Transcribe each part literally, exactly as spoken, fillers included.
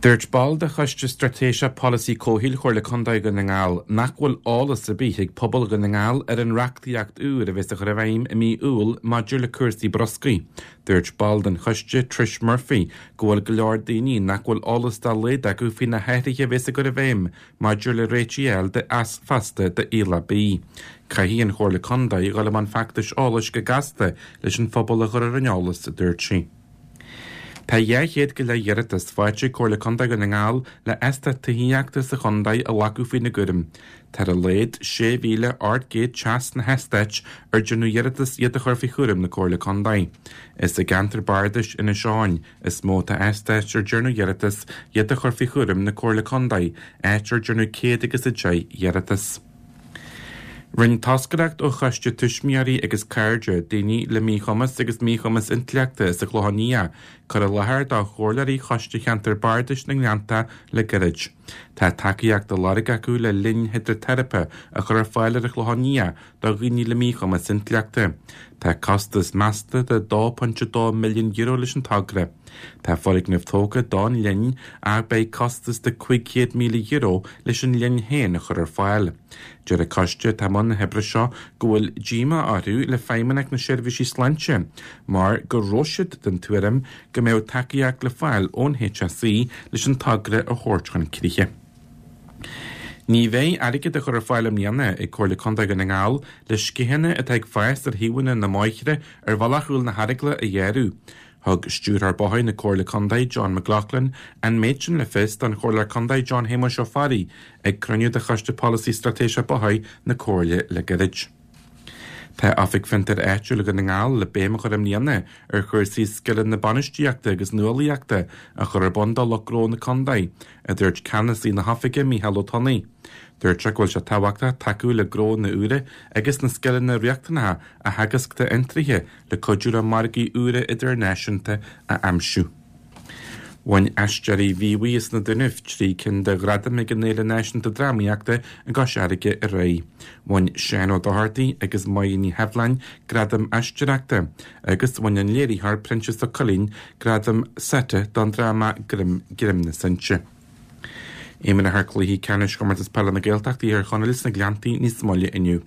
Dúirt ball de Choiste Straitéiseach Polasaí Comhshaoil Chomhairle Contae Dhún na nGall nach bhfuil eolas ar bith ag pobal Dhún na nGall ar an reachtaíocht úr a bheas á chur i bhfeidhm i mí Iúil maidir le cúrsaí bruscair. Dúirt ball den choiste Trish Murphy go bhfuil go leor daoine nach bhfuil eolas dá laghad acu faoi na hathruithe a bheas á gcur i bhfeidhm maidir le réitigh a fháil feasta d'aoileach bídh. Caithfidh an Chomhairle Contae dul i mbun feachtais eolais go gasta leis an phobal a chur ar an eolas, a dúirt sí. Tá dhá chéad go leith iarratas faighte ag Comhairle Contae Dhún na nGall le eastát tithíochta sa chontae a ghlacadh faoina gcúram. Tá ar a laghad sé mhíle ocht gcéad teach sna heastáit ar déanadh iarratas iad a chur faoi chúram na Comhairle Contae. Is i gceantar bardais Inis Eoghain is mó atá eastáit ar déanadh iarratas iad a chur faoi chúram na Comhairle Contae, áit ar déanadh céad agus a deich iarratas. Rinne toscaireacht ó Choiste Tuismitheoirí agus Cairde daoine le míchumas agus míchumas intleachta sa Chlochán Liath cur i láthair do chomhairleoirí Choiste Cheantar Bardais na nGleannta le gairid. Tá tacaíocht á lorg acu le linn hidriteiripe a chur ar fáil ar an Chlochán Liath do dhaoine le míchumas intleachta. Tá costas measta de dó pointe dó milliún euro leis an togra. Tá foirgneamh tógtha don linn ach beidh costas de cúig chéad míle euro leis an linn féin a chur ar fáil. Deir an coiste atá i mbun na hoibre seo go bhfuil díomá orthu le Feidhmeannacht na Seirbhísí Sláinte mar go raibh siad den tuairim go mbeadh tacaíocht le fáil ón HSE leis an togra a thabhairt chun críche. Ní bheidh airgead á chur ar fáil i mbliana ag Comhairle Contae Dhún na nGall le sceitheanna atá ag fás ar thaobhanna na mbóithre ar Bhealach Chúil na hEaragla a ghearradh. Thug Stiúrthóir Bóithre na Comhairle Contae John McLaughlin an méid sin le fios don Chomhairleoir Contae John Shéamuis Ó Fearraigh ag cruinniú de Choiste Polasaí Straitéiseach Bóithre na Comhairle le gairid. Tá Oifig Fiontair Áitiúil Dhún na nGall le béim a chur i mbliana ar chúrsaí scileanna bainistíochta agus nuálaíochta a chur ar bun do lucht gnó na contae, a dúirt ceannasaí na hoifige Mícheál Ó Tonnaigh. Dúirt sé go bhfuil sé tábhachtach tacú le gnónna úra agus na scileanna riachtanacha a theagasc d'fhiontraithe le cuidiú le margaí úra idirnáisiúnta a aimsiú. Bhain Aisteoirí Mhíobhaigh as na Dúnaibh trí cinn de ghradaim ag an Fhéile Náisiúnta Drámaíochta i gCois Fharraige aréir. Bhain Seán Ó Dochartaigh agus Máire Ní Sheibhleáin gradam aisteoireachta agus bhain an léiritheoir Proinsias Ó Coileáin gradam SETA don dráma Greim Greim na Sinse. Imreofar cluichí ceannais Chomórtas Peile na Gaeltachta Thír Chonaill sna Gleanntaí níos moille inniu.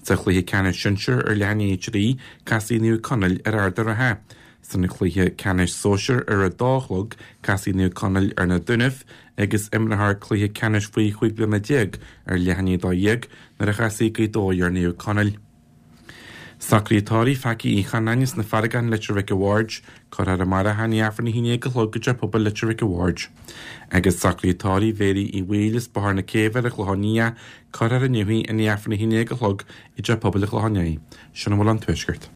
Sa chluiche ceannais sinsir ar leath i ndiaidh a trí, casfaidh Naomh Conaill ar Ard an Rátha. San chluiche ceannais sóisir ar a dó a chlog, casfaidh Naomh Conaill ar na Dúnaibh agus imreofar cluiche ceannais faoi chúig bliana déag ar leath i ndiaidh a dó dhéag nuair a chasfaidh Gaoth Dobhair ar Naomh Conaill. Socruithe tórraimh Phacaí Uí Chanáin as na Farragáin Leitir Mhic a' Bhaird, cuirfear amárach é i ndiaidh Aifreann a haon déag a chlog i dTeach Pobail Leitir Mhic a' Bhaird. Agus socruithe tórraimh Mhéirí Uí Bhaoill as Bóthar na Céibhe ar an Chlochán Liath, cuirfear inniu í i ndiaidh Aifreann a haon déag a chlog i dTeach Pobail an Chlocháin Léith. Sin a bhfuil ón Tuaisceart.